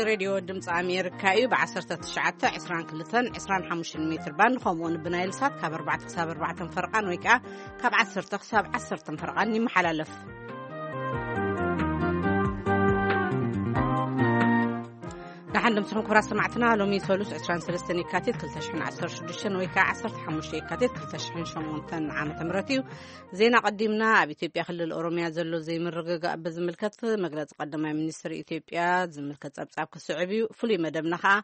ሬድዮ ድምፂ ኣሜሪካ እዩ። ብ19፣ 22፣ 25 ሜትር ባንድ፣ ከምኡውን ብናይል ሳት ካብ ኣርባዕተ ክሳብ ኣርባዕተ ፈርቓን ወይ ከዓ ካብ ዓሰርተ ክሳብ ዓሰርተ ፈርቓን ይመሓላለፍ። ደሓን ድምፅኹም ክቡራት ሰማዕትና። ሎሚ ሰሉስ 23 የካቲት 2016 ወይ ከዓ 15 የካቲት 2008 ዓመተ ምህረት እዩ። ዜና ቀዲምና። ኣብ ኢትዮጵያ ክልል ኦሮሚያ ዘሎ ዘይምርግጋእ ብዝምልከት መግለጺ ቀዳማይ ሚኒስትር ኢትዮጵያ ዝምልከት ጸብጻብ ክስዕብ እዩ። ፍሉይ መደብና ከኣ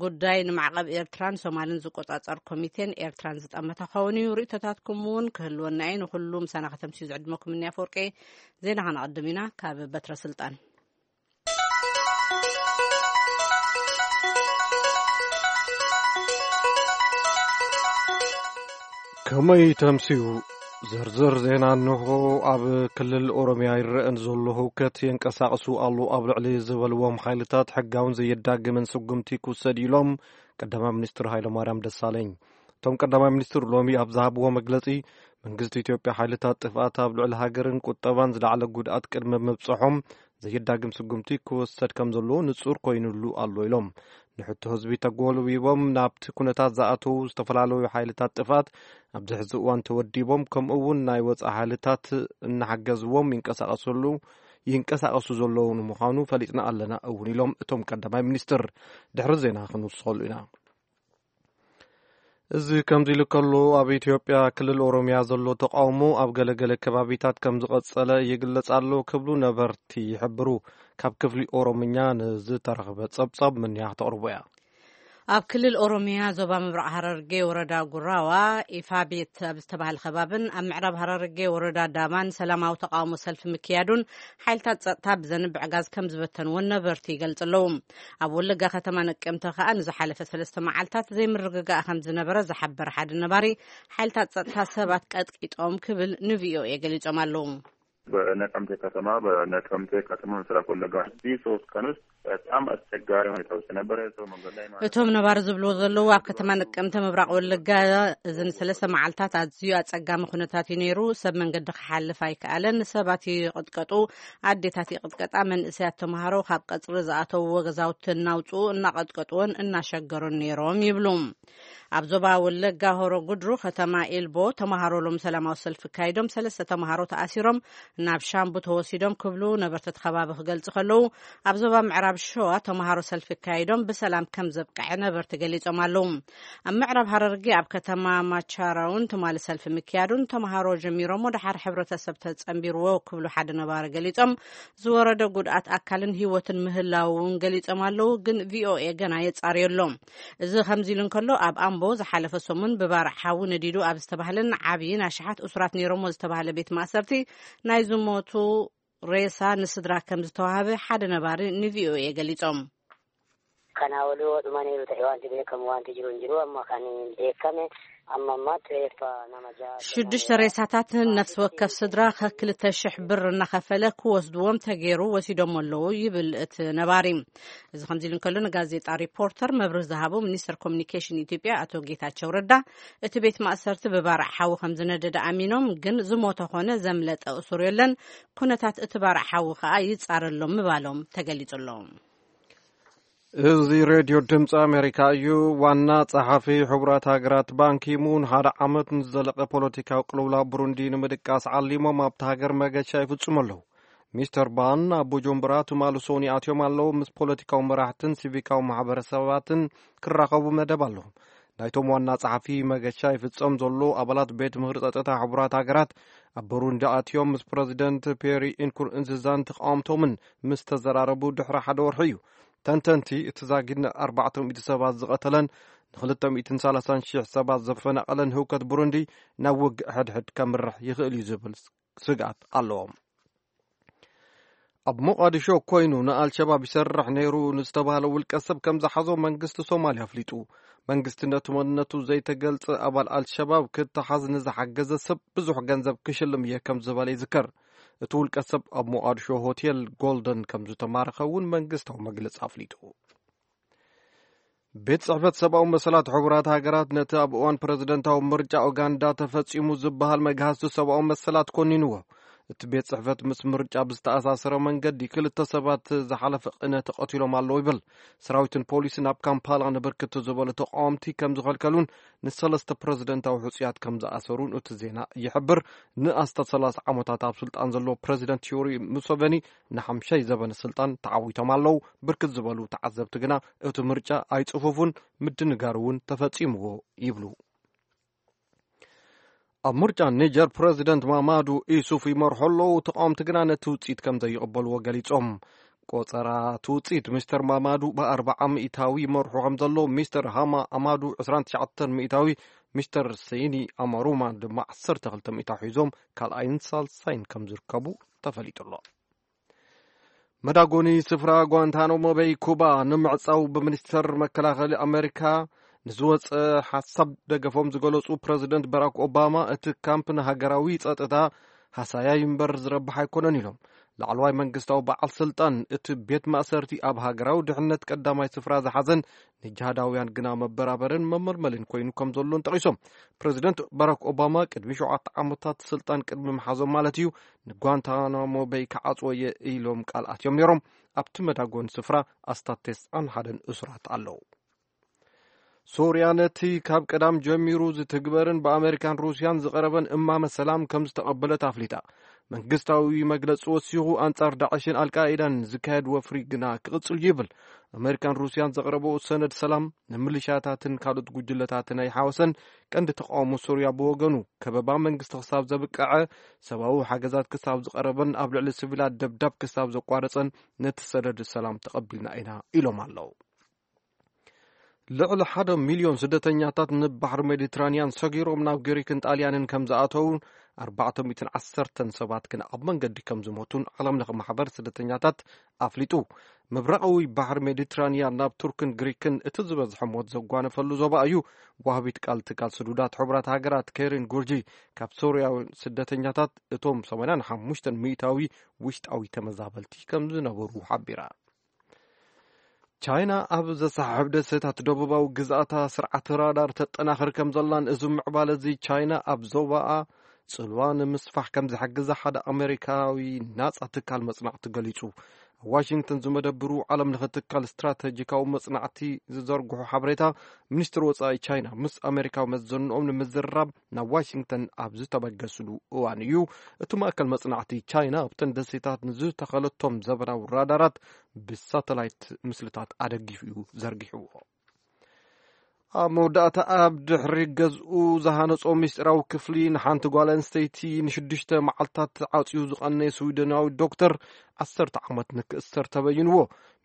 ጉዳይ ንማዕቐብ ኤርትራን ሶማልን ዝቆጻጸር ኮሚቴን ኤርትራን ዝጠመተ ክኸውን እዩ። ርእይቶታትኩም እውን ክህልወና እዩ። ንኹሉ ምሳና ከተምስዩ ዝዕድመኩም እኒ ኣፈወርቂ። ዜና ከነቐድም ኢና። ካብ በትረ ስልጣን ከመይ ተምስዩ? ዝርዝር ዜና እንሆ። ኣብ ክልል ኦሮሚያ ይረአ ንዘሎ ህውከት የንቀሳቕሱ ኣሎ ኣብ ልዕሊ ዝበልዎም ሓይልታት ሕጋውን ዘየዳግምን ስጉምቲ ክውሰድ ኢሎም ቀዳማይ ሚኒስትር ሃይለማርያም ደሳለኝ። እቶም ቀዳማይ ሚኒስትር ሎሚ ኣብ ዝሃብዎ መግለጺ፣ መንግስቲ ኢትዮጵያ ሓይልታት ጥፍኣት ኣብ ልዕሊ ሃገርን ቁጠባን ዝለዓለ ጉድኣት ቅድሚ ምብጽሖም ዘየዳግም ስጉምቲ ክወሰድ ከም ዘለዎ ንጹር ኮይኑሉ ኣሎ ኢሎም። ንሕቶ ህዝቢ ተጎልቢቦም ናብቲ ኩነታት ዝኣተዉ ዝተፈላለዩ ሓይልታት ጥፍኣት ኣብዚ ሕዚ እዋን ተወዲቦም፣ ከምኡ እውን ናይ ወጻኢ ሓይልታት እናሓገዝዎም ይንቀሳቐሰሉ ይንቀሳቐሱ ዘለዉ ንምዃኑ ፈሊጥና ኣለና እውን ኢሎም እቶም ቀዳማይ ሚኒስትር። ድሕሪ ዜና ክንውስኸሉ ኢና። እዚ ከምዚ ኢሉ ከሎ፣ ኣብ ኢትዮጵያ ክልል ኦሮሚያ ዘሎ ተቃውሞ ኣብ ገለገለ ከባቢታት ከም ዝቐጸለ ይግለጽ ኣሎ ክብሉ ነበርቲ ይሕብሩ። ካብ ክፍሊ ኦሮምኛ ንዝተረኽበ ጸብጻብ ምንያ ክተቕርቦ እያ። ኣብ ክልል ኦሮሚያ ዞባ ምብራቕ ሃረርጌ ወረዳ ጉራዋ ኢፋ ቤት ኣብ ዝተባህለ ከባብን ኣብ ምዕራብ ሃረርጌ ወረዳ ዳማን ሰላማዊ ተቃውሞ ሰልፊ ምክያዱን ሓይልታት ጸጥታ ብዘንብዕ ጋዝ ከም ዝበተንዎን ነበርቲ ይገልጽ ኣለዉ። ኣብ ወለጋ ከተማ ነቀምተ ከኣ ንዝሓለፈ ሰለስተ መዓልታት ዘይምርግጋእ ከም ዝነበረ ዝሓበረ ሓደ ነባሪ፣ ሓይልታት ጸጥታ ሰባት ቀጥቂጦም ክብል ንቪኦኤ ገሊጾም ኣለዉ። በነቀምቴ ከተማ፣ በነቀምቴ ከተማ ምስራቅ ወለጋ፣ እዚህ ሶስት ቀን ውስጥ በጣም አስቸጋሪ ሁኔታ ውስጥ ነበረ። ሰው መንገድ ላይ ማለት እቶም ነባሪ ዝብልዎ ዘለዉ፣ ኣብ ከተማ ነቀምተ ምብራቕ ወለጋ እዚ ንሰለስተ መዓልታት ኣዝዩ ኣጸጋሚ ኩነታት እዩ ነይሩ። ሰብ መንገዲ ክሓልፍ ኣይከኣለን። ሰባት ይቕጥቀጡ፣ ኣዴታት ይቕጥቀጣ፣ መንእሰያት ተምሃሮ ካብ ቀጽሪ ዝኣተውዎ ገዛውቲ እናውፅኡ እናቐጥቀጥዎን እናሸገሩን ነይሮም ይብሉ። ኣብ ዞባ ወለጋ ሆሮ ጉድሩ ከተማ ኤልቦ ተምሃሮ ሎም ሰላማዊ ሰልፊ ካይዶም ሰለስተ ተምሃሮ ተኣሲሮም ናብ ሻምቡ ተወሲዶም ክብሉ ነበርቲ እቲ ከባቢ ክገልጹ ከለዉ፣ ኣብ ዞባ ምዕራብ ሸዋ ተምሃሮ ሰልፊ ካይዶም ብሰላም ከም ዘብቅዐ ነበርቲ ገሊጾም ኣለዉ። ኣብ ምዕራብ ሃረርጌ ኣብ ከተማ ማቻራውን ትማሊ ሰልፊ ምክያዱን ተምሃሮ ጀሚሮሞ ደሓር ሕብረተሰብ ተጸንቢርዎ ክብሉ ሓደ ነባሪ ገሊጾም፣ ዝወረደ ጉድኣት ኣካልን ህይወትን ምህላው እውን ገሊጾም ኣለዉ፣ ግን ቪኦኤ ገና የጻርዮ ኣሎ። እዚ ከምዚ ኢሉ እንከሎ፣ ኣብ ኣምቦ ዝሓለፈ ሰሙን ብባርዕ ሓዊ ነዲዱ ኣብ ዝተባህለን ዓብይን ኣሽሓት እሱራት ነይሮሞ ዝተባህለ ቤት ማእሰርቲ ናይ ዝሞቱ ሬሳ ንስድራ ከም ዝተዋህበ ሓደ ነባሪ ንቪኦኤ ገሊጾም። Kana oluu dhuma neeru ta'e wanti beekamu wanti jiru hin jiru. Amma kan beekame amma ammaatti reeffa nama ja'a. ሽዱሽተ ሬሳታት ነፍሲ ወከፍ ስድራ ከክልተ ሽሕ ብር እናኸፈለ ክወስድዎም ተገይሩ ወሲዶም ኣለዉ ይብል እቲ ነባሪ። እዚ ከምዚ ኢሉ እንከሎ፣ ንጋዜጣ ሪፖርተር መብርህ ዝሃቡ ሚኒስትር ኮሚኒኬሽን ኢትዮጵያ ኣቶ ጌታቸው ረዳ፣ እቲ ቤት ማእሰርቲ ብባርዕ ሓዊ ከም ዝነደደ ኣሚኖም፣ ግን ዝሞተ ኾነ ዘምለጠ እሱር የለን። ኩነታት እቲ ባርዕ ሓዊ ከኣ ይጻረሎም ምባሎም ተገሊጹ ኣሎ። እዚ ሬድዮ ድምፂ ኣሜሪካ እዩ። ዋና ጸሓፊ ሕቡራት ሃገራት ባንኪሙን ሓደ ዓመት ንዝዘለቐ ፖለቲካዊ ቅልውላው ብሩንዲ ንምድቃስ ዓሊሞም ኣብቲ ሃገር መገሻ ይፍጽሙ ኣለዉ። ሚስተር ባን ኣብ ቡጁምቡራ ትማሊ ሰኑይ ኣትዮም ኣለዉ። ምስ ፖለቲካዊ መራሕትን ሲቪካዊ ማሕበረሰባትን ክራኸቡ መደብ ኣለዎም። ናይቶም ዋና ጸሓፊ መገሻ ይፍጸም ዘሎ ኣባላት ቤት ምኽሪ ጸጥታ ሕቡራት ሃገራት ኣብ ብሩንዲ ኣትዮም ምስ ፕረዚደንት ፔሪ ኢንኩርንዚዛን ተቃወምቶምን ምስ ተዘራረቡ ድሕሪ ሓደ ወርሒ እዩ። ተንተንቲ፣ እቲ ዛጊድ ን400 ሰባት ዝቐተለን ን230,000 ሰባት ዘፈናቐለን ህውከት ብሩንዲ ናብ ውግእ ሕድሕድ ከምርሕ ይኽእል እዩ ዝብል ስግኣት ኣለዎም። ኣብ ሞቓዲሾ ኮይኑ ንኣልሸባብ ይሰርሕ ነይሩ ንዝተባህለ ውልቀ ሰብ ከም ዝሓዞ መንግስቲ ሶማልያ ኣፍሊጡ። መንግስቲ ነቲ መንነቱ ዘይተገልጸ ኣባል ኣልሸባብ ክተሓዝ ንዝሓገዘ ሰብ ብዙሕ ገንዘብ ክሽልም እየ ከም ዝበለ ይዝከር። እቲ ውልቀ ሰብ ኣብ ሞቓዲሾ ሆቴል ጎልደን ከም ዝተማረኸ እውን መንግስታዊ መግለጺ ኣፍሊጡ። ቤት ጽሕፈት ሰብኣዊ መሰላት ሕቡራት ሃገራት ነቲ ኣብ እዋን ፕረዚደንታዊ ምርጫ ኡጋንዳ ተፈጺሙ ዝበሃል መግሃስቲ ሰብኣዊ መሰላት ኮኒንዎ። እቲ ቤት ጽሕፈት ምስ ምርጫ ብዝተኣሳሰረ መንገዲ ክልተ ሰባት ዝሓለፈ ቅነ ተቐቲሎም ኣለዉ ይብል። ሰራዊትን ፖሊስን ኣብ ካምፓላ ንብርክት ዝበሉ ተቃወምቲ ከም ዝኸልከሉን ንሰለስተ ፕረዚደንታዊ ሕጹያት ከም ዝኣሰሩን እቲ ዜና ይሕብር። ንኣስታት ሰላሳ ዓመታት ኣብ ስልጣን ዘሎ ፕረዚደንት ዮሪ ሙሰቨኒ ንሓምሻይ ዘበነ ስልጣን ተዓዊቶም ኣለዉ። ብርክት ዝበሉ ተዓዘብቲ ግና እቲ ምርጫ ኣይጽፉፉን፣ ምድንጋር እውን ተፈጺምዎ ይብሉ። ኣብ ምርጫ ኒጀር ፕረዚደንት ማማዱ ኢሱፍ ይመርሑ ኣለዉ። ተቃወምቲ ግና ነቲ ውፅኢት ከም ዘይቕበልዎ ገሊጾም። ቆጸራ እቲ ውፅኢት ሚስተር ማማዱ ብኣርባዓ ሚእታዊ ይመርሑ ከም ዘሎ፣ ሚስተር ሃማ ኣማዱ ዕስራን ትሽዓተን ሚእታዊ፣ ሚስተር ሰይኒ ኣማሩማ ድማ ዓሰርተ ክልተ ሚእታዊ ሒዞም ካልኣይን ሳልሳይን ከም ዝርከቡ ተፈሊጡ ኣሎ። መዳጎኒ ስፍራ ጓንታናሞ በይ ኩባ ንምዕጻው ብሚኒስተር መከላኸሊ ኣሜሪካ ንዝወጸ ሓሳብ ደገፎም ዝገለጹ ፕረዚደንት ባራክ ኦባማ፣ እቲ ካምፕ ንሃገራዊ ጸጥታ ሃሳያይ እምበር ዝረብሕ ኣይኮነን ኢሎም። ላዕለዋይ መንግስታዊ በዓል ስልጣን እቲ ቤት ማእሰርቲ ኣብ ሃገራዊ ድሕነት ቀዳማይ ስፍራ ዝሓዘን ንጅሃዳውያን ግና መበራበርን መመልመልን ኮይኑ ከም ዘሎን ጠቒሶም። ፕረዚደንት ባራክ ኦባማ ቅድሚ ሸውዓተ ዓመታት ስልጣን ቅድሚ ምሓዞም ማለት እዩ፣ ንጓንታናሞ በይ ክዓጽዎ እየ ኢሎም ቃል ኣትዮም ነይሮም። ኣብቲ መዳጎኒ ስፍራ ኣስታት ተስዓን ሓደን እሱራት ኣለዉ። ሶርያ ነቲ ካብ ቀዳም ጀሚሩ ዝትግበርን ብኣመሪካን ሩስያን ዝቐረበን እማመ ሰላም ከም ዝተቐበለት ኣፍሊጣ። መንግስታዊ መግለጺ ወሲኹ፣ ኣንጻር ዳዕሽን ኣልቃኢዳን ዝካየድ ወፍሪ ግና ክቕጽል እዩ ይብል። ኣመሪካን ሩስያን ዘቕረበኦ ሰነድ ሰላም ንምልሻታትን ካልኦት ጉጅለታትን ኣይሓወሰን። ቀንዲ ተቃውሞ ሶርያ ብወገኑ፣ ከበባ መንግስቲ ክሳብ ዘብቅዐ፣ ሰብኣዊ ሓገዛት ክሳብ ዝቐረበን ኣብ ልዕሊ ሲቪላት ደብዳብ ክሳብ ዘቋረጸን ነቲ ሰነድ ሰላም ተቐቢልና ኢና ኢሎም ኣለዉ። ልዕሊ ሓደ ሚልዮን ስደተኛታት ንባሕሪ ሜዲትራንያን ሰጊሮም ናብ ግሪክን ጣልያንን ከም ዝኣተዉ፣ ኣርባዕተ ሚእትን ዓሰርተን ሰባት ግን ኣብ መንገዲ ከም ዝሞቱን ዓለም ለኸ ማሕበር ስደተኛታት ኣፍሊጡ። ምብራቓዊ ባሕሪ ሜዲትራንያን ናብ ቱርክን ግሪክን እቲ ዝበዝሐ ሞት ዘጓነፈሉ ዞባ እዩ። ዋህቢት ቃል ትካል ስዱዳት ሕቡራት ሃገራት ኬሪን ጉርጂ፣ ካብ ሶርያውያን ስደተኛታት እቶም ሰማንያን ሓሙሽተን ሚእታዊ ውሽጣዊ ተመዛበልቲ ከም ዝነበሩ ሓቢራ። ቻይና ኣብ ዘሰሓሕብ ደሴታት ደቡባዊ ግዝኣታ ስርዓት ራዳር ተጠናኽር ከም ዘላን፣ እዚ ምዕባለ እዚ ቻይና ኣብ ዞባኣ ጽልዋ ንምስፋሕ ከም ዝሕግዛ ሓደ ኣሜሪካዊ ናጻ ትካል መጽናዕቲ ገሊጹ። ኣብ ዋሽንግተን ዝመደብሩ ዓለም ለኸ ትካል ስትራተጂካዊ መጽናዕቲ ዝዘርግሑ ሓበሬታ፣ ሚኒስትሪ ወጻኢ ቻይና ምስ ኣሜሪካዊ መዘንኦም ንምዝርራብ ናብ ዋሽንግተን ኣብ ዝተበገስሉ እዋን እዩ። እቲ ማእከል መጽናዕቲ፣ ቻይና ኣብተን ደሴታት ንዝተኸለቶም ዘበናዊ ራዳራት ብሳተላይት ምስልታት ኣደጊፉ እዩ ዘርጊሕዎ። ኣብ መወዳእታ፣ ኣብ ድሕሪ ገዝኡ ዝሃነጾ ምስጢራዊ ክፍሊ ንሓንቲ ጓል ኣንስተይቲ ንሽዱሽተ መዓልታት ዓጽዩ ዝቐነየ ስዊደናዊ ዶክተር ዓሰርተ ዓመት ንክእሰር ተበይንዎ።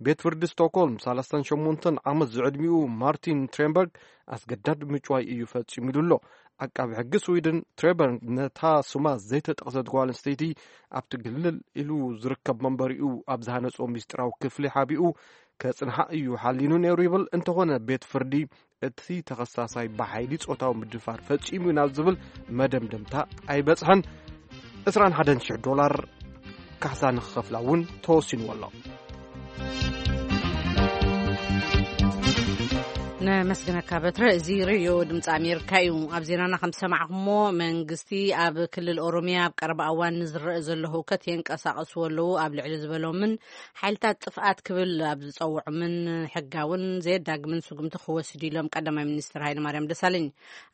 ቤት ፍርዲ ስቶክሆልም፣ ሰላሳን ሸሞንተን ዓመት ዝዕድሚኡ ማርቲን ትሬንበርግ ኣስገዳድ ምጭዋይ እዩ ፈጺሙ ኢሉ ኣሎ። ዓቃቢ ሕጊ ስዊድን፣ ትሬንበርግ ነታ ስማ ዘይተጠቕሰት ጓል ኣንስተይቲ ኣብቲ ግልል ኢሉ ዝርከብ መንበሪኡ ኣብ ዝሃነጾ ምስጢራዊ ክፍሊ ሓቢኡ ከጽንሓ እዩ ሓሊኑ ነይሩ ይብል። እንተኾነ፣ ቤት ፍርዲ እቲ ተኸሳሳይ ብሓይሊ ጾታዊ ምድፋር ፈጺሙ ናብ ዝብል መደምደምታ ኣይበጽሐን። ዕስራን ሓደን ሽሕ ዶላር ካሕሳ ንክኸፍላ እውን ተወሲንዎ ኣሎ። ነመስግነካ በትረ። እዚ ሬድዮ ድምፂ ኣሜሪካ እዩ። ኣብ ዜናና ከም ዝሰማዕኩሞ፣ መንግስቲ ኣብ ክልል ኦሮሚያ ኣብ ቀረባ እዋን ንዝረአ ዘሎ ህውከት የንቀሳቐስዎ ኣለዉ ኣብ ልዕሊ ዝበሎምን ሓይልታት ጥፍኣት ክብል ኣብ ዝጸውዖምን ሕጋውን ዘየዳግምን ስጉምቲ ክወስድ ኢሎም ቀዳማይ ሚኒስትር ሃይለማርያም ደሳለኝ።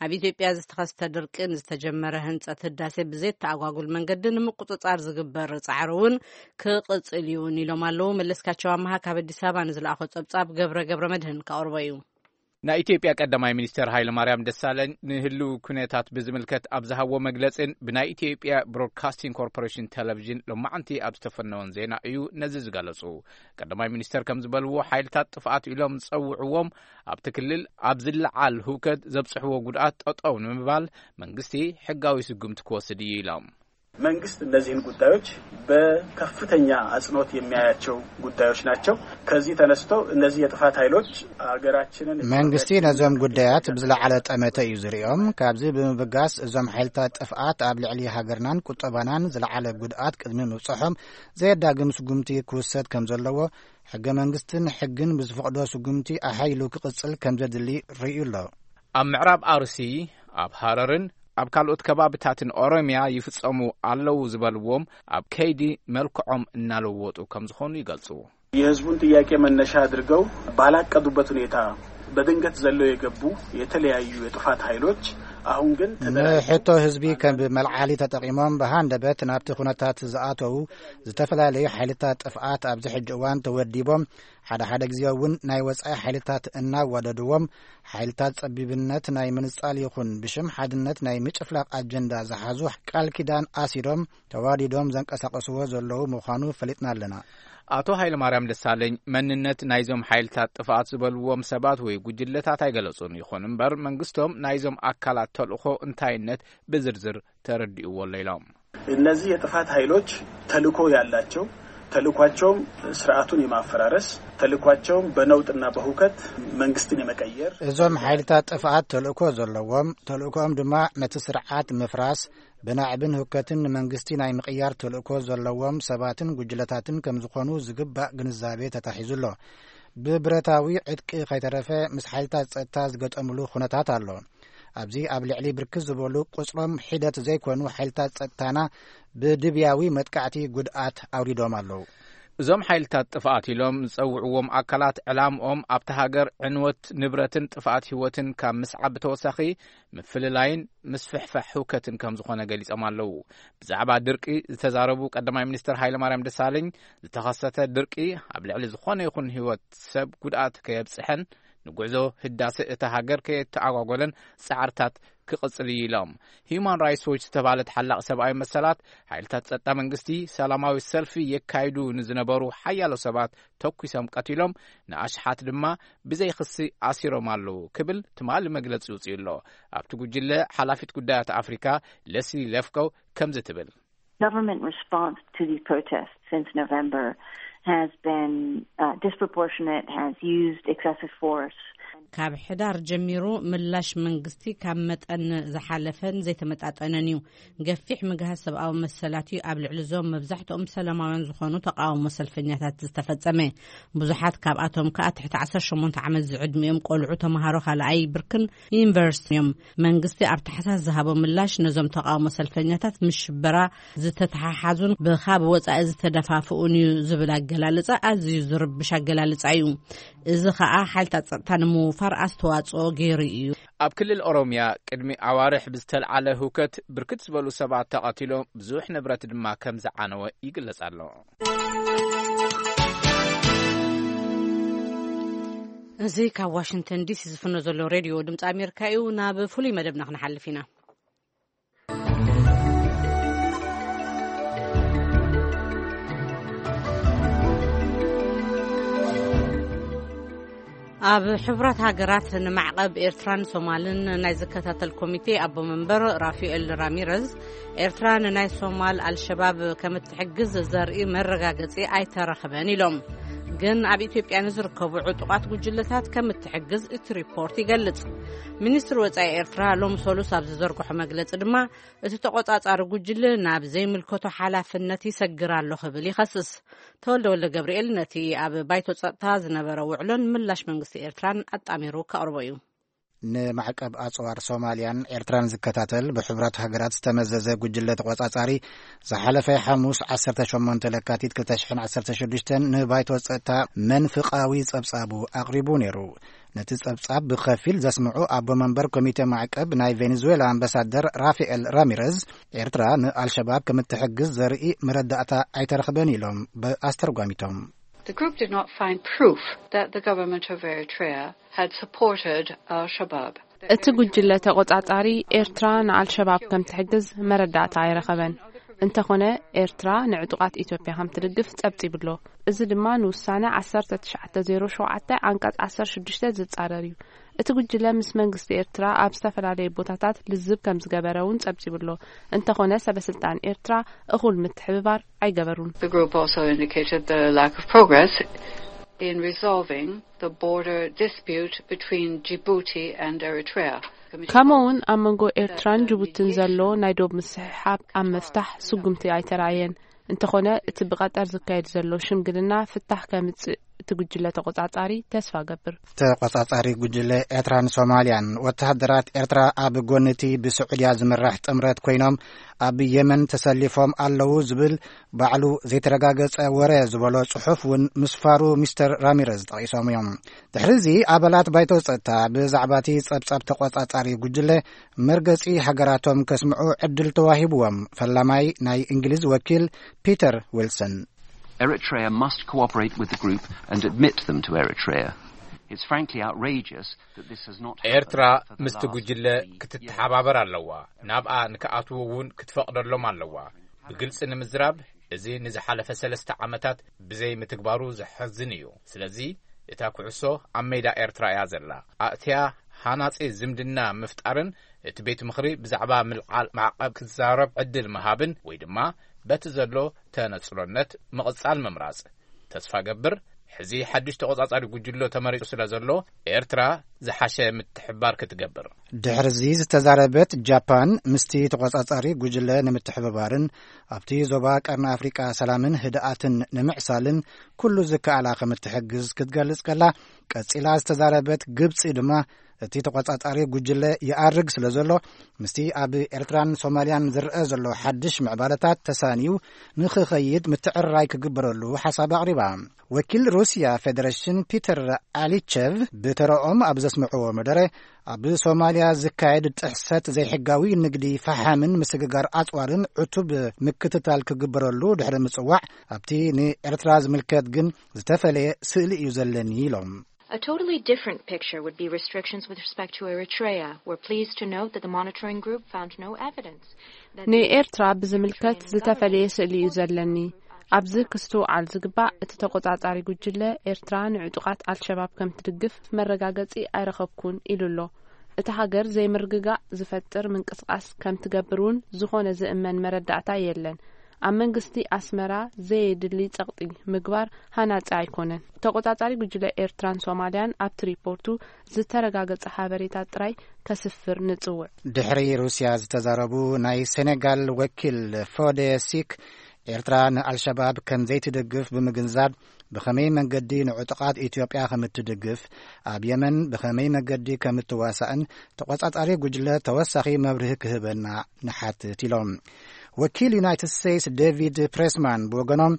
ኣብ ኢትዮጵያ ዝተኸስተ ድርቅን ዝተጀመረ ህንጸት ህዳሴ ብዘይተኣጓጉል መንገዲ ንምቁጽጻር ዝግበር ጻዕሪ እውን ክቕጽል እዩን ኢሎም ኣለዉ። መለስካቸው ኣመሃ ካብ ኣዲስ ኣበባ ንዝለኣኾ ጸብጻብ ገብረ ገብረ መድህን ከቕርቦ እዩ። ናይ ኢትዮጵያ ቀዳማይ ሚኒስትር ሃይለማርያም ደሳለኝ ንህልው ኩነታት ብዝምልከት ኣብ ዝሃብዎ መግለጽን ብናይ ኢትዮጵያ ብሮድካስቲንግ ኮርፖሬሽን ቴሌቪዥን ሎማዕንቲ ኣብ ዝተፈነወን ዜና እዩ ነዚ ዝገለጹ። ቀዳማይ ሚኒስትር ከም ዝበልዎ፣ ሓይልታት ጥፍኣት ኢሎም ዝጸውዕዎም ኣብቲ ክልል ኣብ ዝለዓል ህውከት ዘብጽሕዎ ጉድኣት ጠጠው ንምባል መንግስቲ ሕጋዊ ስጉምቲ ክወስድ እዩ ኢሎም። መንግስት እነዚህን ጉዳዮች በከፍተኛ አጽንኦት የሚያያቸው ጉዳዮች ናቸው። ከዚህ ተነስቶ እነዚህ የጥፋት ኃይሎች ሀገራችንን መንግስቲ ነዞም ጉዳያት ብዝለዓለ ጠመተ እዩ ዝርእዮም። ካብዚ ብምብጋስ እዞም ሓይልታት ጥፍኣት ኣብ ልዕሊ ሃገርናን ቁጠባናን ዝለዓለ ጉድኣት ቅድሚ ምብጽሖም ዘየዳግም ስጉምቲ ክውሰድ ከም ዘለዎ ሕገ መንግስትን ሕግን ብዝፈቕዶ ስጉምቲ ኣሓይሉ ክቕጽል ከም ዘድሊ ርእዩ ኣሎ። ኣብ ምዕራብ ኣርሲ፣ ኣብ ሃረርን ኣብ ካልኦት ከባብታትን ኦሮሚያ ይፍጸሙ ኣለዉ ዝበልዎም ኣብ ከይዲ መልክዖም እናለወጡ ከም ዝኾኑ ይገልጹ። የህዝቡን ጥያቄ መነሻ አድርገው ባላቀዱበት ሁኔታ በድንገት ዘለው የገቡ የተለያዩ የጥፋት ኃይሎች አሁን ግን ተደራጅተው ንሕቶ ህዝቢ ከም መልዓሊ ተጠቒሞም ብሃንደበት ናብቲ ኩነታት ዝኣተዉ ዝተፈላለዩ ሓይልታት ጥፍኣት ኣብዚ ሕጂ እዋን ተወዲቦም ሓደ ሓደ ግዜ እውን ናይ ወጻኢ ሓይልታት እናዋደድዎም ሓይልታት ጸቢብነት ናይ ምንጻል ይኹን ብሽም ሓድነት ናይ ምጭፍላቕ ኣጀንዳ ዝሓዙ ቃል ኪዳን ኣሲሮም ተዋዲዶም ዘንቀሳቐስዎ ዘለዉ ምዃኑ ፈሊጥና ኣለና። ኣቶ ሃይለማርያም ደሳለኝ መንነት ናይዞም ሓይልታት ጥፍኣት ዝበልዎም ሰባት ወይ ጉጅለታት ኣይገለጹን። ይኹን እምበር መንግስቶም ናይዞም ኣካላት ተልእኾ እንታይነት ብዝርዝር ተረዲእዎ ኣሎ ኢሎም። እነዚህ የጥፋት ኃይሎች ተልእኮ ያላቸው፣ ተልእኳቸውም ስርዓቱን የማፈራረስ፣ ተልእኳቸውም በነውጥና በሁከት መንግስትን የመቀየር። እዞም ሓይልታት ጥፍኣት ተልእኮ ዘለዎም፣ ተልእኮኦም ድማ ነቲ ስርዓት ምፍራስ፣ ብናዕብን ሁከትን ንመንግስቲ ናይ ምቕያር ተልእኮ ዘለዎም ሰባትን ጉጅለታትን ከም ዝኾኑ ዝግባእ ግንዛቤ ተታሒዙ ኣሎ። ብብረታዊ ዕጥቂ ከይተረፈ ምስ ሓይልታት ጸጥታ ዝገጠምሉ ኩነታት ኣሎ። ኣብዚ ኣብ ልዕሊ ብርክት ዝበሉ ቁጽሮም ሒደት ዘይኮኑ ሓይልታት ጸጥታና ብድብያዊ መጥቃዕቲ ጉድኣት ኣውሪዶም ኣለዉ። እዞም ሓይልታት ጥፍኣት ኢሎም ዝጸውዕዎም ኣካላት ዕላምኦም ኣብታ ሃገር ዕንወት ንብረትን ጥፍኣት ህይወትን ካብ ምስዓብ ብተወሳኺ ምፍልላይን ምስፍሕፋሕ ህውከትን ከም ዝኾነ ገሊጾም ኣለዉ። ብዛዕባ ድርቂ ዝተዛረቡ ቀዳማይ ሚኒስትር ሃይለማርያም ደሳለኝ ዝተኸሰተ ድርቂ ኣብ ልዕሊ ዝኾነ ይኹን ህይወት ሰብ ጉድኣት ከየብጽሐን ንጉዕዞ ህዳሰ እታ ሃገር ከየተኣጓጎለን ጻዕርታት ክቕጽል እዩ ኢሎም። ሂዩማን ራይትስ ዎች ዝተባህለ ተሓላቒ ሰብኣዊ መሰላት ሓይልታት ጸጥታ መንግስቲ ሰላማዊ ሰልፊ የካይዱ ንዝነበሩ ሓያሎ ሰባት ተኩሶም ቀቲሎም ንኣሽሓት ድማ ብዘይ ክሲ ኣሲሮም ኣለዉ ክብል ትማሊ መግለጺ ውጽኡ ኣሎ። ኣብቲ ጉጅለ ሓላፊት ጉዳያት ኣፍሪካ ለስሊ ለፍኮ ከምዚ ትብል። Government response to these protests since November has been uh, disproportionate, has used excessive force. ካብ ሕዳር ጀሚሩ ምላሽ መንግስቲ ካብ መጠን ዝሓለፈን ዘይተመጣጠነን እዩ። ገፊሕ ምግሃስ ሰብኣዊ መሰላት እዩ ኣብ ልዕሊ እዞም መብዛሕትኦም ሰላማውያን ዝኾኑ ተቃውሞ ሰልፈኛታት ዝተፈጸመ። ብዙሓት ካብኣቶም ከኣ ትሕቲ ዓሰርተ ሸሞንተ ዓመት ዝዕድሚኦም ቆልዑ ተምሃሮ ካልኣይ ብርክን ዩኒቨርሲቲ እዮም። መንግስቲ ኣብ ታሕሳስ ዝሃቦ ምላሽ ነዞም ተቃውሞ ሰልፈኛታት ምስ ሽበራ ዝተተሓሓዙን ብኻብ ወጻኢ ዝተደፋፍኡን እዩ ዝብል ኣገላልጻ ኣዝዩ ዝርብሽ ኣገላልጻ እዩ። እዚ ኸኣ ሓይልታት ጸጥታ ንምውፋር ኣስተዋጽኦ ገይሩ እዩ። ኣብ ክልል ኦሮምያ ቅድሚ ኣዋርሕ ብዝተልዓለ ህውከት ብርክት ዝበሉ ሰባት ተቐቲሎም ብዙሕ ንብረት ድማ ከም ዝዓነወ ይግለጽ ኣሎ። እዚ ካብ ዋሽንግተን ዲሲ ዝፍኖ ዘሎ ሬድዮ ድምፂ ኣሜሪካ እዩ። ናብ ፍሉይ መደብና ክንሓልፍ ኢና። ኣብ ሕቡራት ሃገራት ንማዕቐብ ኤርትራን ሶማልን ናይ ዝከታተል ኮሚቴ ኣቦ መንበር ራፋኤል ራሚረዝ፣ ኤርትራ ንናይ ሶማል ኣልሸባብ ከም እትሕግዝ ዘርኢ መረጋገጺ ኣይተረኽበን ኢሎም። ግን ኣብ ኢትዮጵያ ንዝርከቡ ዕጡቓት ጉጅለታት ከም እትሕግዝ እቲ ሪፖርት ይገልጽ። ሚኒስትሪ ወጻኢ ኤርትራ ሎም ሰሉስ ኣብ ዝዘርግሖ መግለጺ ድማ፣ እቲ ተቖጻጻሪ ጉጅለ ናብ ዘይምልከቶ ሓላፍነት ይሰግር ኣሎ ክብል ይኸስስ። ተወልደ ወልደ ገብርኤል ነቲ ኣብ ባይቶ ጸጥታ ዝነበረ ውዕሎን ምላሽ መንግስቲ ኤርትራን ኣጣሚሩ ከቕርቦ እዩ። ንማዕቀብ ኣጽዋር ሶማልያን ኤርትራን ዝከታተል ብሕቡራት ሃገራት ዝተመዘዘ ጉጅለ ተቖጻጻሪ ዝሓለፈ ሓሙስ ዓሰርተ ሸሞንተ ለካቲት ክልተ ሽሕን ዓሰርተ ሽዱሽተን ንባይቶ ጸጥታ መንፍቓዊ ጸብጻቡ ኣቕሪቡ ነይሩ። ነቲ ጸብጻብ ብኸፊል ዘስምዑ ኣቦ መንበር ኮሚቴ ማዕቀብ ናይ ቬኔዙዌላ ኣምባሳደር ራፋኤል ራሚረዝ፣ ኤርትራ ንኣልሸባብ ከም እትሕግዝ ዘርኢ መረዳእታ ኣይተረኽበን ኢሎም ብኣስተርጓሚቶም። The group did not find proof that the government of Eritrea had supported al-Shabaab. እቲ ጉጅለ ተቖጻጻሪ ኤርትራ ንኣልሸባብ ከም ትሕግዝ መረዳእታ ኣይረኸበን። እንተኾነ ኤርትራ ንዕጡቓት ኢትዮጵያ ከም ትድግፍ ጸብጺቡ ኣሎ። እዚ ድማ ንውሳነ ዓሰርተ ትሽዓተ ዜሮ ሸውዓተ ዓንቀጽ ዓሰርተ ሽዱሽተ ዝጻረር እዩ። እቲ ጉጅለ ምስ መንግስቲ ኤርትራ ኣብ ዝተፈላለዩ ቦታታት ልዝብ ከም ዝገበረ እውን ጸብጺቡ ኣሎ። እንተኾነ ሰበ ስልጣን ኤርትራ እኹል ምትሕብባር ኣይገበሩን። The group also indicated the lack of progress in resolving the border dispute between Djibouti and Eritrea. ከምኡ እውን ኣብ መንጎ ኤርትራን ጅቡቲን ዘሎ ናይ ዶብ ምስሕሓብ ኣብ ምፍታሕ ስጉምቲ ኣይተራእየን። እንተኾነ እቲ ብቐጠር ዝካየድ ዘሎ ሽምግልና ፍታሕ ከምጽእ እቲ ጉጅለ ተቆጻጻሪ ተስፋ ገብር። ተቆጻጻሪ ጉጅለ ኤርትራን ሶማልያን፣ ወተሃደራት ኤርትራ ኣብ ጎኒ እቲ ብስዑድያ ዝምራሕ ጥምረት ኮይኖም ኣብ የመን ተሰሊፎም ኣለዉ ዝብል ባዕሉ ዘይተረጋገጸ ወረ ዝበሎ ጽሑፍ እውን ምስፋሩ ሚስተር ራሚረዝ ጠቒሶም እዮም። ድሕሪ እዚ ኣባላት ባይቶ ጸጥታ ብዛዕባ እቲ ጸብጻብ ተቆጻጻሪ ጉጅለ መርገጺ ሃገራቶም ከስምዑ ዕድል ተዋሂብዎም። ፈላማይ ናይ እንግሊዝ ወኪል ፒተር ዊልሰን። Eritrea must cooperate with the group and admit them to Eritrea. It's frankly outrageous that this has not happened. ኤርትራ ምስቲ ጉጅለ ክትተሓባበር ኣለዋ። ናብኣ ንክኣትዉ እውን ክትፈቕደሎም ኣለዋ። ብግልጺ ንምዝራብ፣ እዚ ንዝሓለፈ ሰለስተ ዓመታት ብዘይ ምትግባሩ ዘሐዝን እዩ። ስለዚ እታ ኩዕሶ ኣብ ሜዳ ኤርትራ እያ ዘላ። ኣእትያ ሃናጺ ዝምድና ምፍጣርን እቲ ቤት ምኽሪ ብዛዕባ ምልዓል ማዕቐብ ክዛረብ ዕድል ምሃብን ወይ ድማ በቲ ዘሎ ተነጽሎነት ምቕጻል ምምራጽ። ተስፋ ገብር፣ ሕዚ ሓድሽ ተቖጻጻሪ ጉጅሎ ተመሪጹ ስለ ዘሎ፣ ኤርትራ ዝሓሸ ምትሕባር ክትገብር። ድሕርዚ ዝተዛረበት ጃፓን፣ ምስቲ ተቖጻጻሪ ጉጅለ ንምትሕብባርን ኣብቲ ዞባ ቀርኒ ኣፍሪቃ ሰላምን ህድኣትን ንምዕሳልን ኩሉ ዝከኣላ ከም እትሕግዝ ክትገልጽ ከላ፣ ቀጺላ ዝተዛረበት ግብጺ ድማ፣ እቲ ተቖጻጻሪ ጉጅለ ይኣርግ ስለ ዘሎ፣ ምስቲ ኣብ ኤርትራን ሶማልያን ዝረኣ ዘሎ ሓድሽ ምዕባለታት ተሳንዩ ንኽኸይድ ምትዕርራይ ክግበረሉ ሓሳብ ኣቕሪባ። ወኪል ሩስያ ፌደሬሽን ፒተር ኣሊቸቭ ብተረኦም ኣብ ዘስምዕዎ መደረ፣ ኣብ ሶማልያ ዝካየድ ጥሕሰት ዘይሕጋዊ ንግዲ ፈሓምን ምስግጋር ኣጽዋርን ዕቱብ ምክትታል ክግበረሉ ድሕሪ ምጽዋዕ፣ ኣብቲ ንኤርትራ ዝምልከት ግን ዝተፈለየ ስእሊ እዩ ዘለኒ ኢሎም። A totally different picture would be restrictions with respect to Eritrea. We're pleased to note that the monitoring group found no evidence that ንኤርትራ ብዝምልከት ዝተፈለየ ስእሊ እዩ ዘለኒ። ኣብዚ ክስትውዓል ዝግባእ፣ እቲ ተቆጻጻሪ ጉጅለ ኤርትራ ንዕጡቓት ኣልሸባብ ከም ትድግፍ መረጋገጺ ኣይረኸብኩን ኢሉ ኣሎ። እቲ ሃገር ዘይምርግጋእ ዝፈጥር ምንቅስቃስ ከም ትገብር እውን ዝኾነ ዝእመን መረዳእታ የለን። ኣብ መንግስቲ ኣስመራ ዘየድሊ ጸቕጢ ምግባር ሃናጺ ኣይኮነን። ተቆጻጻሪ ጉጅለ ኤርትራን ሶማልያን ኣብቲ ሪፖርቱ ዝተረጋገጸ ሓበሬታ ጥራይ ከስፍር ንጽውዕ። ድሕሪ ሩስያ ዝተዛረቡ ናይ ሴኔጋል ወኪል ፎዴ ሲክ፣ ኤርትራ ንኣልሸባብ ከም ዘይትድግፍ ብምግንዛብ፣ ብኸመይ መንገዲ ንዕጡቓት ኢትዮጵያ ከም እትድግፍ፣ ኣብ የመን ብኸመይ መንገዲ ከም እትዋሳእን ተቆጻጻሪ ጉጅለ ተወሳኺ መብርሂ ክህበና ንሓትት ኢሎም። ወኪል ዩናይትድ ስቴትስ ዴቪድ ፕሬስማን ብወገኖም፣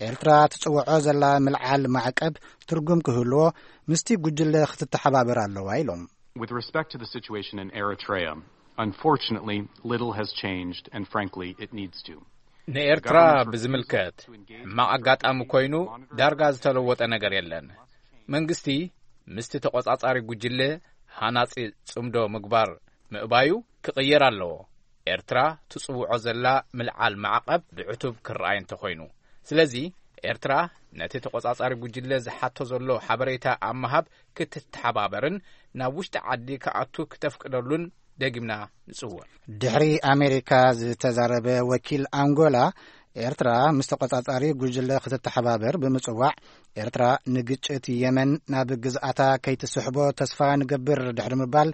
ኤርትራ ትጽውዖ ዘላ ምልዓል ማዕቀብ ትርጉም ክህልዎ ምስቲ ጉጅለ ክትተሓባበር ኣለዋ ኢሎም። With respect to the situation in Eritrea, unfortunately, little has changed, and frankly, it needs to. ንኤርትራ ብዝምልከት፣ ሕማቕ ኣጋጣሚ ኮይኑ ዳርጋ ዝተለወጠ ነገር የለን። መንግስቲ ምስቲ ተቆጻጻሪ ጉጅለ ሃናጺ ጽምዶ ምግባር ምእባዩ ክቕየር ኣለዎ። ኤርትራ ትጽውዖ ዘላ ምልዓል ማዕቐብ ብዕቱብ ክረኣይ እንተኾይኑ። ስለዚ ኤርትራ ነቲ ተቆጻጻሪ ጉጅለ ዝሓቶ ዘሎ ሓበሬታ ኣብ ምሃብ ክትተሓባበርን ናብ ውሽጢ ዓዲ ክኣቱ ክተፍቅደሉን ደጊምና ንጽውዕ። ድሕሪ ኣሜሪካ ዝተዛረበ ወኪል ኣንጎላ፣ ኤርትራ ምስ ተቆጻጻሪ ጉጅለ ክትተሓባበር ብምጽዋዕ፣ ኤርትራ ንግጭት የመን ናብ ግዝኣታ ከይትስሕቦ ተስፋ ንገብር ድሕሪ ምባል፣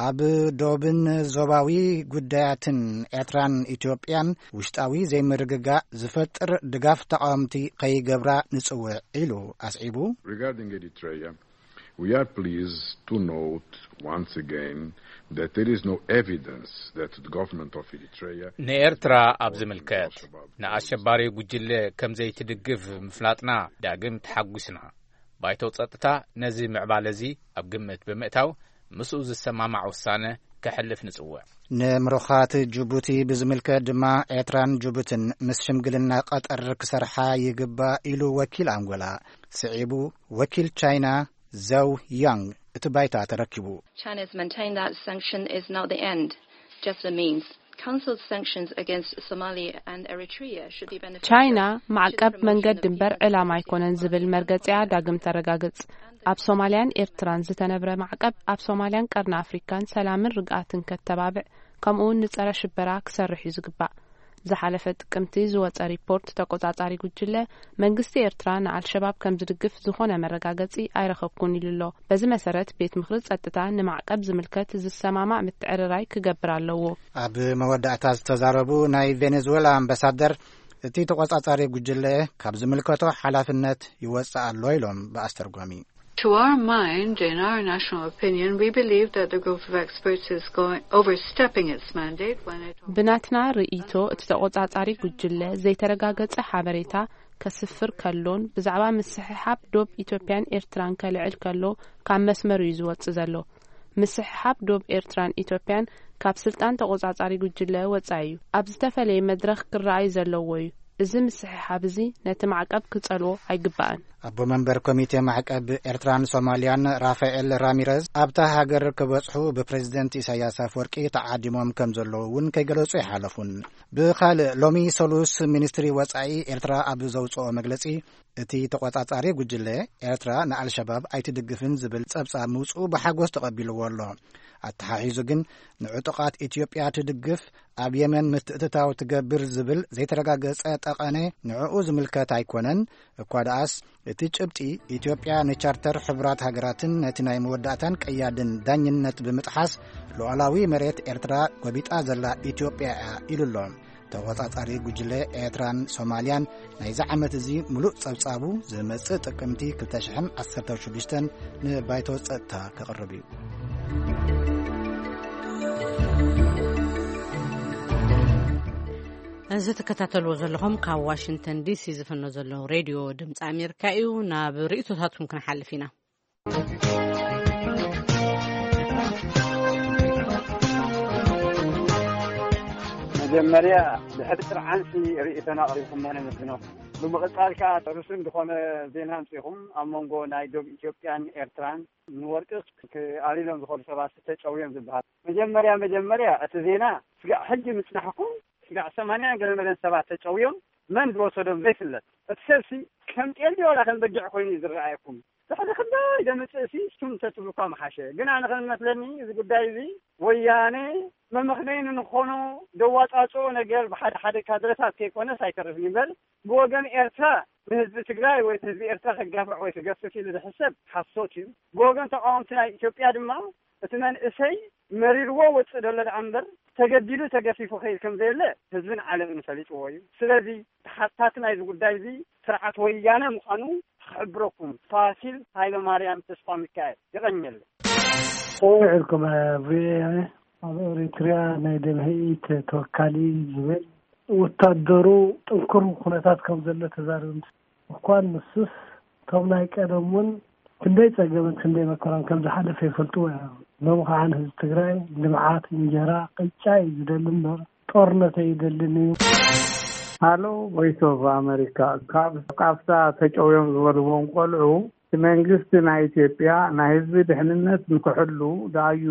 ኣብ ዶብን ዞባዊ ጉዳያትን ኤርትራን ኢትዮጵያን ውሽጣዊ ዘይምርግጋእ ዝፈጥር ድጋፍ ተቓወምቲ ከይገብራ ንጽውዕ ኢሉ ኣስዒቡ። Regarding Eritrea, we are pleased to note once again that there is no evidence that the government of Eritrea ንኤርትራ ኣብ ዝምልከት ንኣሸባሪ ጉጅለ ከም ዘይትድግፍ ምፍላጥና ዳግም ተሓጒስና። ባይቶ ጸጥታ ነዚ ምዕባለ እዚ ኣብ ግምት ብምእታው ምስኡ ዝሰማማዕ ውሳነ ከሕልፍ ንጽውዕ። ንምሩኻት ጅቡቲ ብዝምልከት ድማ ኤርትራን ጅቡትን ምስ ሽምግልና ቀጠር ክሰርሓ ይግባእ ኢሉ ወኪል ኣንጎላ። ስዒቡ ወኪል ቻይና ዘው ያንግ እቲ ባይታ ተረኪቡ። China has maintained that sanction is not the end, just a means. Council's sanctions against Somalia and Eritrea should be beneficial ቻይና to the ማዕቀብ promotion መንገዲ of እምበር economic ዕላማ activity ኣይኮነን ዝብል መርገጺኣ ዳግም ተረጋግጽ። ኣብ ሶማልያን ኤርትራን ዝተነብረ ማዕቀብ ኣብ ሶማልያን ቀርኒ ኣፍሪካን ሰላምን ርግኣትን ከተባብዕ፣ ከምኡውን ንጸረ ሽበራ ክሰርሕ እዩ ዝግባእ። ዝሓለፈ ጥቅምቲ ዝወጸ ሪፖርት ተቆጻጻሪ ጉጅለ መንግስቲ ኤርትራ ንኣልሸባብ ከም ዝድግፍ ዝኾነ መረጋገጺ ኣይረኸብኩን ኢሉ ኣሎ። በዚ መሰረት ቤት ምኽሪ ጸጥታ ንማዕቀብ ዝምልከት ዝሰማማዕ ምትዕርራይ ክገብር ኣለዎ። ኣብ መወዳእታ ዝተዛረቡ ናይ ቬኔዙዌላ ኣምባሳደር እቲ ተቖጻጻሪ ጉጅለ ካብ ዝምልከቶ ሓላፍነት ይወጽእ ኣሎ ኢሎም ብኣስተርጓሚ። To our mind, in our national opinion, we believe that the group of experts is going overstepping its mandate when it ብናትና ርእይቶ፣ እቲ ተቖጻጻሪ ጉጅለ ዘይተረጋገጸ ሓበሬታ ከስፍር ከሎን ብዛዕባ ምስሕሓብ ዶብ ኢትዮጵያን ኤርትራን ከልዕል ከሎ ካብ መስመር እዩ ዝወጽእ ዘሎ። ምስሕሓብ ዶብ ኤርትራን ኢትዮጵያን ካብ ስልጣን ተቖጻጻሪ ጉጅለ ወጻኢ እዩ። ኣብ ዝተፈለየ መድረኽ ክረኣይ ዘለዎ እዩ። እዚ ምስሕሓብ እዚ ነቲ ማዕቀብ ክጸልዎ ኣይግባእን። ኣቦ መንበር ኮሚቴ ማዕቀብ ኤርትራን ሶማልያን ራፋኤል ራሚረዝ ኣብታ ሃገር ክበጽሑ ብፕሬዝደንት ኢሳያስ ኣፈወርቂ ተዓዲሞም ከም ዘለዉ እውን ከይገለጹ ኣይሓለፉን። ብኻልእ፣ ሎሚ ሰሉስ ሚኒስትሪ ወጻኢ ኤርትራ ኣብ ዘውጽኦ መግለጺ፣ እቲ ተቖጻጻሪ ጉጅለ ኤርትራ ንኣልሸባብ ኣይትድግፍን ዝብል ጸብጻብ ምውጽኡ ብሓጎስ ተቐቢልዎ ኣሎ። ኣተሓሒዙ ግን፣ ንዕጡቓት ኢትዮጵያ ትድግፍ፣ ኣብ የመን ምትእትታው ትገብር ዝብል ዘይተረጋገጸ ጠቐነ ንዕኡ ዝምልከት ኣይኮነን። እኳ ደኣስ፣ እቲ ጭብጢ፣ ኢትዮጵያ ንቻርተር ሕቡራት ሃገራትን ነቲ ናይ መወዳእታን ቀያድን ዳኝነት ብምጥሓስ ሉዓላዊ መሬት ኤርትራ ጎቢጣ ዘላ ኢትዮጵያ እያ ኢሉ ኣሎ። ተቖጻጻሪ ጉጅለ ኤርትራን ሶማልያን ናይዚ ዓመት እዚ ምሉእ ጸብጻቡ ዝመጽእ ጥቅምቲ ክልተ ሽሕን ዓሰርተ ሽዱሽተን ንባይቶ ጸጥታ ከቕርብ እዩ። እዚ ትከታተልዎ ዘለኹም ካብ ዋሽንግተን ዲሲ ዝፍኖ ዘሎ ሬድዮ ድምፂ ኣሜሪካ እዩ። ናብ ርእይቶታትኩም ክንሓልፍ ኢና። መጀመርያ፣ ድሕሪ ጥርዓንሲ ርእይቶና ኣቕሪብኩሞ ነመስግነኩም። ብምቕጻል ከኣ ርሱን ዝኾነ ዜና ኣምጺኹም፣ ኣብ መንጎ ናይ ዶብ ኢትዮጵያን ኤርትራን ንወርቂ ክኣልሎም ዝኸዱ ሰባት ተጨውዮም ዝበሃል። መጀመርያ መጀመርያ፣ እቲ ዜና ስጋዕ ሕጂ ምጽናሕኩም፣ ስጋዕ ሰማንያ ገለ መለን ሰባት ተጨውዮም፣ መን ዝወሰዶም ዘይፍለጥ። እቲ ሰብሲ ከም ጤል ድዩ ዋላ ከም በጊዕ ኮይኑ እዩ ዝረኣየኩም። ድሕሪ ክንደይ ደምጽእሲ፣ እሱም እንተትብሉ እኳ ምሓሸ። ግን ኣነ ከም ዝመስለኒ፣ እዚ ጉዳይ እዚ ወያነ መመኽነዪ ንኾኖ ደዋጻጽኦ ነገር ብሓደ ሓደ ካድረታት ከይኮነስ ኣይተርፍን ይበል። ብወገን ኤርትራ፣ ንህዝቢ ትግራይ ወይ ህዝቢ ኤርትራ ከጋፍዕ ወይ ክገፍፍ ኢሉ ዝሕሰብ ሓሶት እዩ። ብወገን ተቃወምቲ ናይ ኢትዮጵያ ድማ፣ እቲ መንእሰይ መሪርዎ ወጽእ ደሎ ደኣ እምበር፣ ተገዲዱ ተገፊፉ ከይድ ከም ዘየለ ህዝብን ዓለምን ፈሊጥዎ እዩ። ስለዚ፣ ተሓታቲ ናይዚ ጉዳይ እዚ ስርዓት ወያነ ምዃኑ ክሕብረኩም። ፋሲል ሃይለማርያም ተስፋ ሚካኤል። የቐንየለይ። ሰላም ኢልኩም፣ ቪኦኤ። ኣብ ኤሪትሪያ ናይ ደምሂት ተወካሊ ዝብል ወታደሩ ጥንኩር ኩነታት ከም ዘሎ ተዛርብ። እኳ ንሱስ፣ እቶም ናይ ቀደም እውን ክንደይ ጸገምን ክንደይ መከራን ከም ዝሓለፈ ይፈልጥዎ እዮም። ሎሚ ከዓ ንህዝቢ ትግራይ ልምዓት፣ እንጀራ፣ ቅጫ እዩ ዝደሊ እምበር ጦርነት ኣይደልን እዩ። ሃሎ፣ ቮይስ ኦፍ ኣመሪካ። ካብ ቃፍታ ተጨውዮም ዝበልዎም ቆልዑ፣ እቲ መንግስቲ ናይ ኢትዮጵያ ናይ ህዝቢ ድሕንነት ንክሕሉ ደኣዩ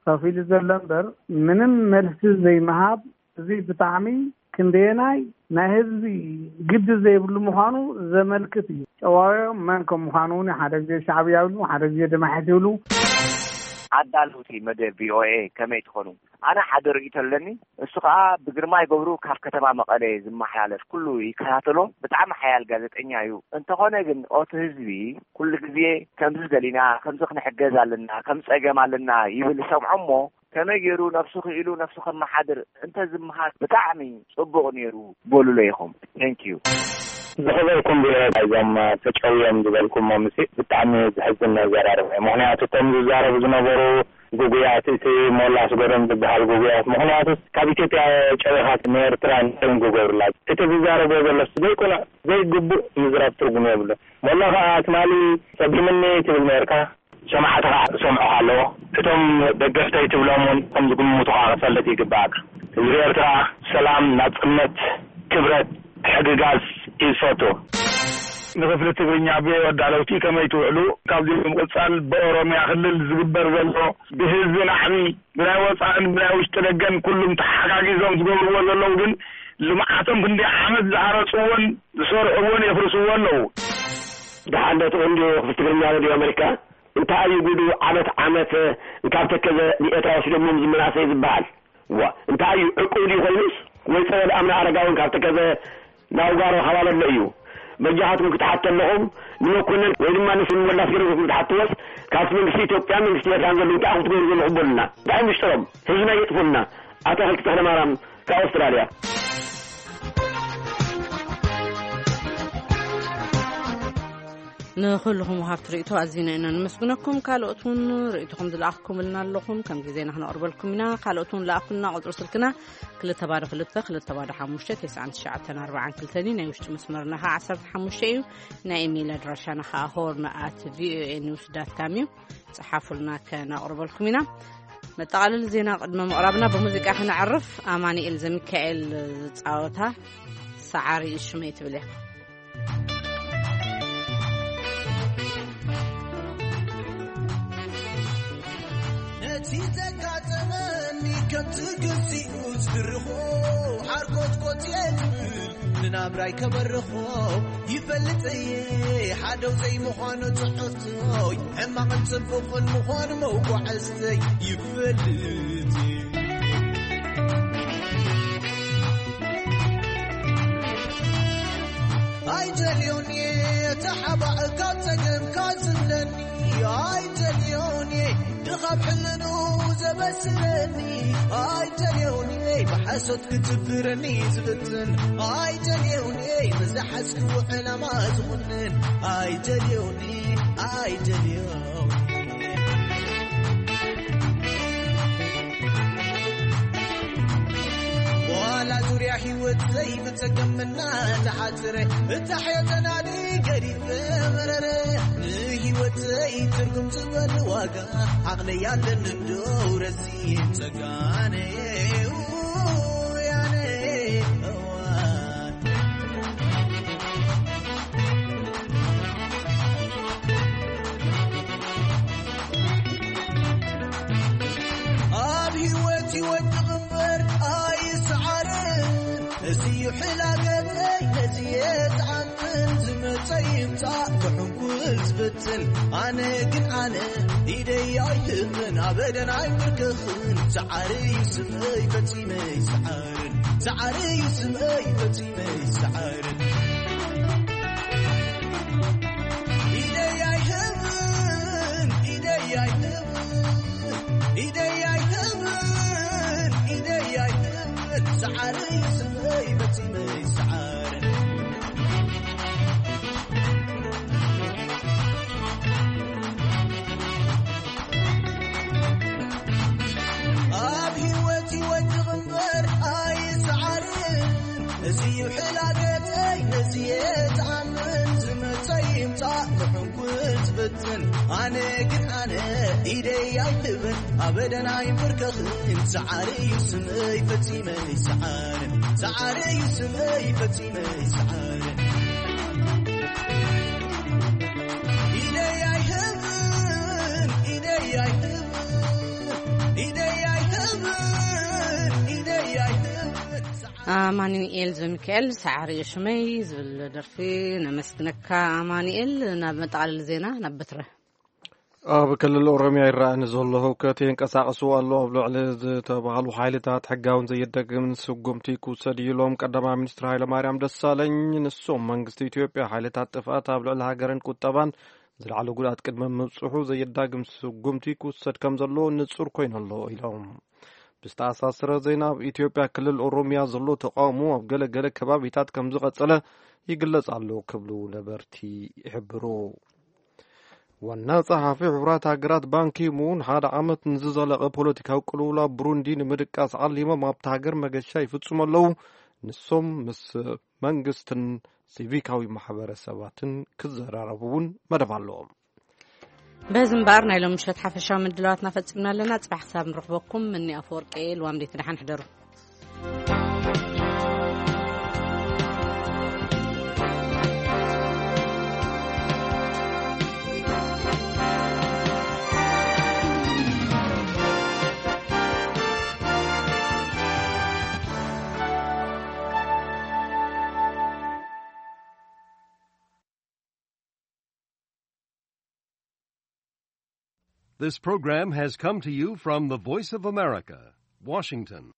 ከፊሉ ዘሎ እምበር፣ ምንም መልሲ ዘይምሃብ፣ እዚ ብጣዕሚ ክንደየናይ ናይ ህዝቢ ግዲ ዘይብሉ ምዃኑ ዘመልክት እዩ። ጨዋዮም መን ከም ምዃኑ እውን፣ ሓደ ግዜ ሻዕብያ ይብሉ፣ ሓደ ግዜ ደማሒት ይብሉ። ኣዳለውቲ መደብ ቪኦኤ፣ ከመይ ትኾኑ? ኣነ ሓደ ርእይቶ ኣለኒ። እሱ ኸኣ፣ ብግርማይ ገብሩ ካብ ከተማ መቐለ ዝመሓላለፍ ኩሉ ይከታተሎ። ብጣዕሚ ሓያል ጋዜጠኛ እዩ። እንተኾነ ግን፣ ኦቲ ህዝቢ ኩሉ ግዜ ከምዚ ደሊና፣ ከምዚ ክንሕገዝ ኣለና፣ ከምዚ ጸገም ኣለና ይብል ይሰምዖ እሞ፣ ከመይ ገይሩ ነፍሱ ክኢሉ ነፍሱ ከመሓድር እንተ ዝመሃር ብጣዕሚ ጽቡቕ ነይሩ በሉለይ ኢኹም። Thank you። ዝኸበርኩም ብሔረ፣ እዞም ተጨውዮም ዝበልኩሞም፣ ምስ ብጣዕሚ ዝሕዝን ኣዘራርባ እዩ። ምኽንያቱ፣ እቶም ዝዛረቡ ዝነበሩ ግጉያት፣ እቲ ሞላ ኣስገዶም ዝበሃል ግጉያት፣ ምኽንያቱ፣ ካብ ኢትዮጵያ ጨዊኻ ንኤርትራ እንታይ እዮም ክገብሩላ? እቲ ዝዛረቦ ዘሎ ዘይቅኑዕ፣ ዘይግቡእ ምዝራብ ትርጉም የብሉን። ሞላ ኸዓ፣ ትማሊ ጸጊሙኒ ትብል ነርካ። ሰማዕቲ ኸዓ ዝሰምዑኻ ኣለዎ። እቶም ደገፍተይ ትብሎም እውን ከም ዝግምቱኻ ክፈልጥ ይግባእካ። ህዝቢ ኤርትራ ሰላም፣ ናጽነት፣ ክብረት፣ ሕግጋዝ እዩ ዝፈቱ። ንክፍሊ ትግርኛ ቪኦኤ ኣዳለውቲ ከመይ ትውዕሉ? ካብዚ ብምቕጻል ብኦሮምያ ክልል ዝግበር ዘሎ ብህዝቢ ናዕቢ፣ ብናይ ወጻእን ብናይ ውሽጢ ደገን ኩሉም ተሓጋጊዞም ዝገብርዎ ዘለዉ ግን ልምዓቶም ክንደይ ዓመት ዝሃረጽዎን ዝሰርሕዎን የፍርስዎ ኣለዉ። ደሓን ዶ ትቕንድዩ ክፍሊ ትግርኛ ሬድዮ ኣመሪካ? እንታይ እዩ ጉዱ? ዓመት ዓመት ካብ ተከዘ ንኤርትራ ወሲዶምዎም ዝመናሰይ ዝበሃል። ዋ፣ እንታይ እዩ ዕቁብ ድዩ ኮይኑስ? ወይ ጸወል ኣምና ኣረጋውን ካብ ተከዘ ናብ ጓሮ ካብ ኣለሎ እዩ። በጃኻትኩም ክትሓቶ ኣለኹም፣ ንመኮነን ወይ ድማ ንስም ወላስ ገረዝኩም ክትሓትዎስ፣ ካብቲ መንግስቲ ኢትዮጵያን መንግስቲ ኤርትራን ዘሎ እንታይ ኢኹም ትገብሩ ዘለኹም በሉና። እንታይ እዩ ምሽጥሮም? ህዝብና የጥፉልና። ኣቶ ተኽለ ማርያም ካብ ኣውስትራልያ። ንኹልኹም ወሃብቲ ርእይቶ ኣዚና ኢና ነመስግነኩም። ካልኦት እውን ርእይቶኹም ዝለኣኽኩምልና ኣለኹም፣ ከም ግዜና ክነቕርበልኩም ኢና። ካልኦት እውን ለኣኹልና። ቁጽሪ ስልክና ክልተ ባዶ ክልተ፣ ክልተ ባዶ ሓሙሽተ፣ ተስዓን ትሽዓተን ኣርባዓን ክልተን እዩ። ናይ ውሽጢ መስመርና ኸዓ ዓሰርተ ሓሙሽተ እዩ። ናይ ኢሜይል ኣድራሻና ኸዓ ሆርን ኣት ቪኦኤ ኒውስ ዳት ካም እዩ። ጸሓፉልና፣ ከነቕርበልኩም ኢና። መጠቓለሊ ዜና ቅድሚ ምቕራብና ብሙዚቃ ክነዕርፍ። ኣማኑኤል ዘሚካኤል ዝጻወታ ሰዓሪ ሽመይ ትብል እያ። ነቲ ዘጋጠመኒ ከምቲ ግዚኡ ዝድርኾ ሓርኮትኮት እየ ዝብል፣ ንናብራይ ከበርኾ ይፈልጥ እየ። ሓደው ዘይምዃኑ ትሕዝቶይ፣ ሕማቕን ጽቡቕን ምዃኑ መጓዕዝተይ ይፈልጥ እየ። ኣይደልዮን እየ ተሓባእ ካብ ጸገም ካዝለኒ፣ ኣይደልዮን እየ ድኻብ ሕልኑ ዘበስለኒ፣ ኣይደልዮን እየ ብሓሶት ክትብረኒ ዝብትን፣ ኣይደልዮን እየ ብዝሓዝክዎ ዕላማ ዝኹንን፣ ኣይደልዮን እየ፣ ኣይደልዮን እየ። ዋላ ዙርያ ህይወት ዘይብጸገምና ተሓጽረ፣ እታ ሕዮ ተናዲ ገዲፈ መረረ። ንህይወተይ ትርጉም ዝበል ዋጋ ዓቕለይ ኣለኒ እንዶ ረሲን ጸጋነ ያነ እዋን። ኣብ ህይወት ይወድቕ እምበር ኣይስዓርን። እዚ እዩ ሕላገተይ፣ ነዚ እየ ዝኣምን። ዝመጸ ይምጻእ ክሕንኩል ዝፍትን። ኣነ ግን ኣነ ኢደይ ኣይህብን፣ ኣበደን ኣይምርክኽን። ሰዓሪ እዩ ስመይ ፈጺመ ይስዓርን። ሰዓሪ እዩ ስመይ ፈጺመ ይስዓርን። ኢደይ ኣይህብን፣ ኢደይ ኣይህብን፣ ኢደይ ኣይህብን፣ ኢደይ ኣይህብን። ሰዓሪ እዩ ስመይ ፈጺመ ይስዓርን። ኣብ ህይወት ይወድቕ እምበር ኣይስዓርን። እዚ እዩ ሕላገተይ፣ ነዚ እየ ዝኣምን። ዝመጸ ይምጻእ ክሕንኩል ዝፍትን። ኣነ ግን ኣነ ኢደይ ኣይህብን፣ ኣበደን ኣይምብርከኽን። ሰዓሪ እዩ ስመይ ፈጺመ ይስዓርን። ሰዓሪ እዩ ስመይ ፈጺመ ይስዓርን። ኢደይ ኣይህብን፣ ኢደይ ኣይህብን፣ ኢደይ ኣይህብን፣ ኢደይ ኣይህብን። ኣማኑኤል ዘሚካኤል ሰዓሪ ሽመይ ዝብል ደርፊ ነመስግነካ ኣማኑኤል። ናብ መጠቓለሊ ዜና ናብ በትረ። ኣብ ክልል ኦሮሚያ ይረኣ ንዘሎ ህውከት የንቀሳቕስዎ ኣሎ ኣብ ልዕሊ ዝተባህሉ ሓይልታት ሕጋውን ዘየዳግምን ስጉምቲ ክውሰድ እዩ ኢሎም ቀዳማይ ሚኒስትር ሃይለማርያም ደሳለኝ። ንሶም መንግስቲ ኢትዮጵያ ሓይልታት ጥፍኣት ኣብ ልዕሊ ሃገርን ቁጠባን ዝለዓለ ጉድኣት ቅድሚ ምብፅሑ ዘየዳግም ስጉምቲ ክውሰድ ከም ዘለዎ ንጹር ኮይኑ ኣሎ ኢሎም። ብዝተኣሳሰረ ዜና ኣብ ኢትዮጵያ ክልል ኦሮሚያ ዘሎ ተቃውሞ ኣብ ገለ ገለ ከባቢታት ከም ዝቐጸለ ይግለጽ ኣሎ ክብሉ ነበርቲ ይሕብሩ። ዋና ጸሓፊ ሕቡራት ሃገራት ባንኪ ሙን ሓደ ዓመት ንዝዘለቐ ፖለቲካዊ ቅልውላው ብሩንዲ ንምድቃስ ዓሊሞም ኣብቲ ሃገር መገሻ ይፍጽሙ ኣለዉ። ንሶም ምስ መንግስትን ሲቪካዊ ማሕበረሰባትን ክዘራረቡ እውን መደብ ኣለዎም። በዚ እምበኣር ናይ ሎም ምሸት ሓፈሻዊ ምድላዋትና ፈጺምና ኣለና። ጽባሕ ክሳብ ንረኽበኩም፣ ምኒ ኣፈወርቂ ልዋም ዴት ደሓን ሕደሩ። This program has come to you from the Voice of America, Washington.